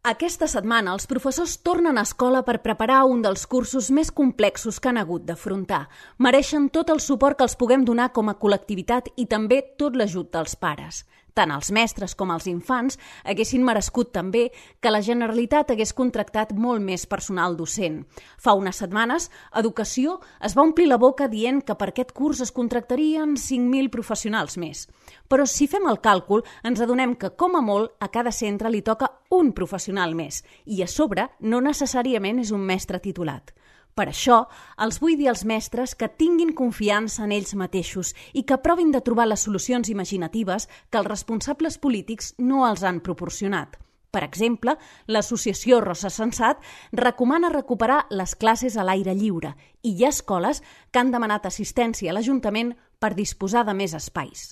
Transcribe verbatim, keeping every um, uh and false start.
Aquesta setmana els professors tornen a escola per preparar un dels cursos més complexos que han hagut d'afrontar. Mereixen tot el suport que els puguem donar com a col·lectivitat i també tot l'ajut dels pares. Tant els mestres com els infants haguessin merescut també que la Generalitat hagués contractat molt més personal docent. Fa unes setmanes, Educació es va omplir la boca dient que per aquest curs es contractarien cinc mil professionals més. Però si fem el càlcul, ens adonem que, com a molt, a cada centre li toca un professional més i, a sobre, no necessàriament és un mestre titulat. Per això, els vull dir als mestres que tinguin confiança en ells mateixos i que provin de trobar les solucions imaginatives que els responsables polítics no els han proporcionat. Per exemple, l'associació Rosa Sensat recomana recuperar les classes a l'aire lliure i hi ha escoles que han demanat assistència a l'Ajuntament per disposar de més espais.